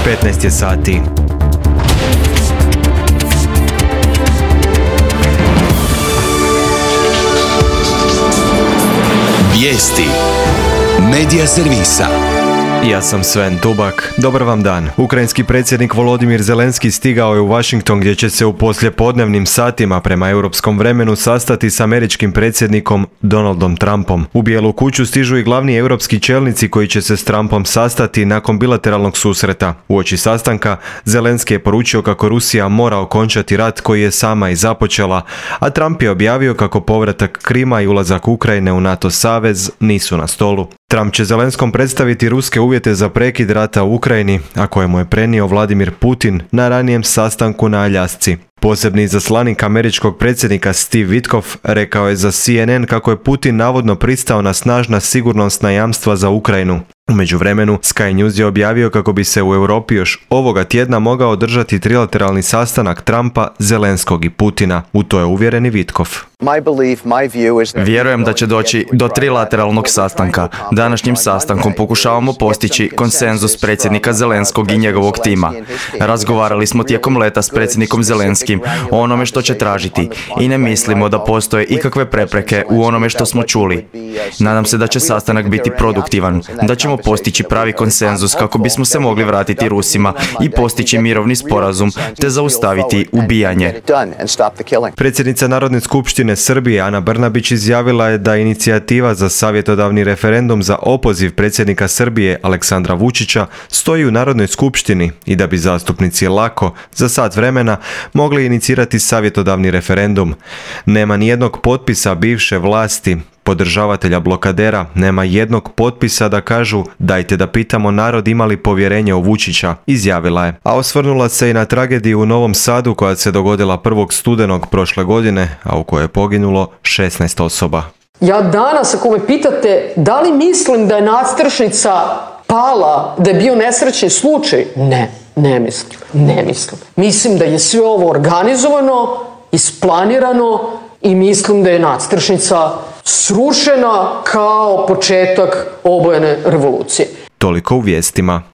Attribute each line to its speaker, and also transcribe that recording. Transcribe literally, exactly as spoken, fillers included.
Speaker 1: petnaest je sati.
Speaker 2: Vijesti Medija servisa.
Speaker 1: Ja sam Sven Dubak. Dobar vam dan. Ukrajinski predsjednik Volodimir Zelenski stigao je u Washington gdje će se u poslijepodnevnim satima prema europskom vremenu sastati s američkim predsjednikom Donaldom Trumpom. U Bijelu kuću stižu i glavni europski čelnici koji će se s Trumpom sastati nakon bilateralnog susreta. Uoči sastanka Zelenski je poručio kako Rusija mora okončati rat koji je sama i započela, a Trump je objavio kako povratak Krima i ulazak Ukrajine u NATO savez nisu na stolu. Trump će Zelenskom predstaviti ruske uvjete za prekid rata u Ukrajini, a koje mu je prenio Vladimir Putin na ranijem sastanku na Aljasci. Posebni izaslanik američkog predsjednika Steve Witkoff rekao je za C N N kako je Putin navodno pristao na snažna sigurnosna jamstva za Ukrajinu. U međuvremenu, Sky News je objavio kako bi se u Europi još ovoga tjedna mogao održati trilateralni sastanak Trumpa, Zelenskog i Putina. U to je uvjeren i Witkoff.
Speaker 3: Vjerujem da će doći do trilateralnog sastanka. Današnjim sastankom pokušavamo postići konsenzus predsjednika Zelenskog i njegovog tima. Razgovarali smo tijekom leta s predsjednikom Zelenskim o onome što će tražiti i ne mislimo da postoje ikakve prepreke u onome što smo čuli. Nadam se da će sastanak biti produktivan, da ćemo postići pravi konsenzus kako bismo se mogli vratiti Rusima i postići mirovni sporazum te zaustaviti ubijanje.
Speaker 1: Predsjednica Narodne skupštine Srbije Ana Brnabić izjavila je da inicijativa za savjetodavni referendum za opoziv predsjednika Srbije Aleksandra Vučića stoji u Narodnoj skupštini i da bi zastupnici lako za sat vremena mogli inicirati savjetodavni referendum. Nema nijednog potpisa bivše vlasti, podržavatelja blokadera, nema jednog potpisa da kažu dajte da pitamo narod ima li povjerenje u Vučića, izjavila je. A osvrnula se i na tragediju u Novom Sadu koja se dogodila prvog studenog prošle godine, a u kojoj je poginulo šesnaest osoba.
Speaker 4: Ja danas, ako me pitate da li mislim da je nadstrešnica pala, da je bio nesrećni slučaj, ne, ne mislim, ne mislim. Mislim da je sve ovo organizovano, isplanirano i mislim da je nadstrešnica srušena kao početak obojene revolucije.
Speaker 1: Toliko u vijestima.